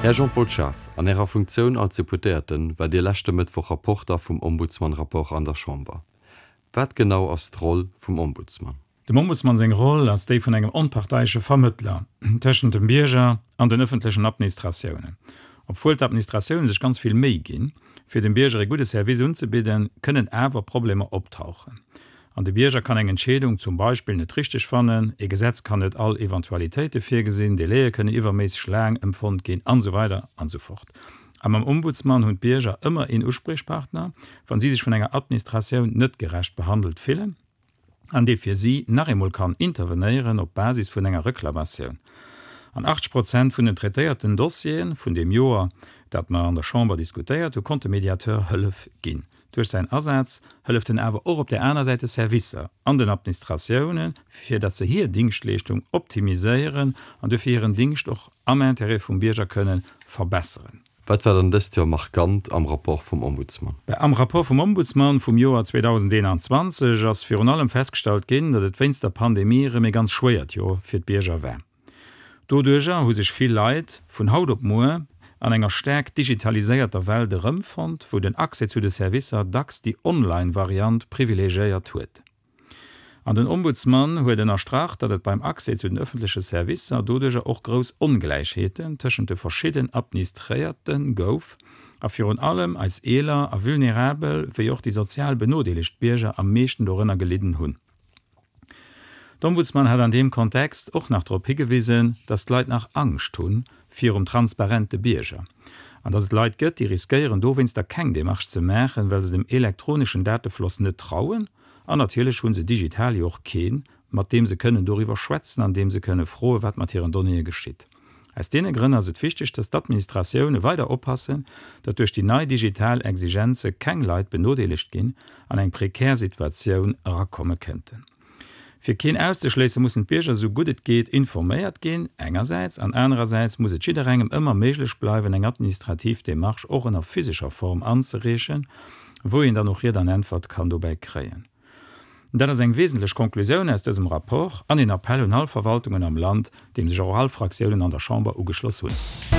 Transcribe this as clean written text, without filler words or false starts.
Här Jean-Paul Schaaf, an Ärer Funktioun als Deputéierten war Dir leschte Mëttwoch Rapporter vum Ombudsman-Rapport an der Chamber. Wat genau ass d'Roll vum Ombudsman? Dem Ombudsman seng Roll ass déi vun engem onparteiesche Vermëttler tëschent dem Bierger an den ëffentlechen Administratiounen. Obwuel d'Administratioune sech ganz vill Méi ginn, fir dem Bierger ee gudde Service unzebidden, kënnen awer Problemer optauchen. An de Bierger kann eng Entscheedung zum Beispill net richteg fannen, ee Gesetz kann net all Eventualitéite virgesinn, Délaië kënnen iwwerméisseg laang empfonnt ginn, an esou weider an esou fort. A mam Ombudsman hunn d'Bierger ëmmer een Uspriechpartner, wa si sech vun enger Administratioun net gerecht behandelt fillen. an dee fir si nach eemol kann intervenéieren op Basis vun enger Reklamatioun. An 80 Prozent vun den traitéierten Dossiere vun deem Joer, dat mer an der Chamber diskutéiert hu, konnt de Mediateur Hëllef ginn. Duerch säin Asaz hëlleft en awer och op där aner Säit de Servicer an den Administratiounen, fir datt se hir Dingschtleeschtung optimiséieren an duerfir hiren Dingscht och am Intérêt vum Bierger kënnen verbesseren. Wat war dann dëst Joer markant am Rapport vum Ombudsman? Am Rapport vum Ombudsman vum Joer 2021 ass virun allem festgestallt ginn, datt et wéinst der Pandemie erëm ee ganz schwéiert Joer fir d'Bierger war. Doduercher hu sech vill Leit vun haut op muer an enger staark digitaliséierter Welt erëmfonnt, wou den Accès zu de Servicer dacks déi Online-Variant privilegiéiert huet. An den Ombudsman huet ënnerstrach, datt et beim Accès zu den ëffentleche Servicer doduercher och grouss Ongläichheeten tëschent de verschidden Administréierte gouf a virun allem eis eeler a vulnerabel wéi och déi sozial benodeelegt Bierger am meeschten dorënner gelidden hunn. D'Ombudsman hat an deem Kontext och nach drop higewisen, datt d'Leit nach Angscht hu virum transparente Bierger an datt et Leit gëtt, déi riskéieren dowéinster keng Demarche ze maachen, well se dem elektroneschen Datefloss net trauen. An natierlech hu se digital jo och keen, mat deem se kënnen doriwwer schwätzen an deem se kënne froen, wat mat hiren Donnéeë geschitt. Aus deene Grënn ass et wichteg, dass d'Administratioune weider oppassen, datt duerch déi nei digital Exigenze keng Leit benodeelegt ginn an eng prekär Situatioun erakomme kënnten. Fir keen auszeschléissen, mussen d'Bierger esou gutt et geet informéiert ginn, engersäits, an anerersäits muss et jidderengem ëmmer méiglech bleiwen, eng administrativ Demarche och ënner physescher Form anzereechen, wou een dann och Ried an Äntwert kann dobäi kréien. Dat ass eng wesentlech Konklusioun aus dësem Rapport an een Appell un all Verwaltungen am Land, deem sech och all Fraktiounen an der Chamber ugeschloss hunn.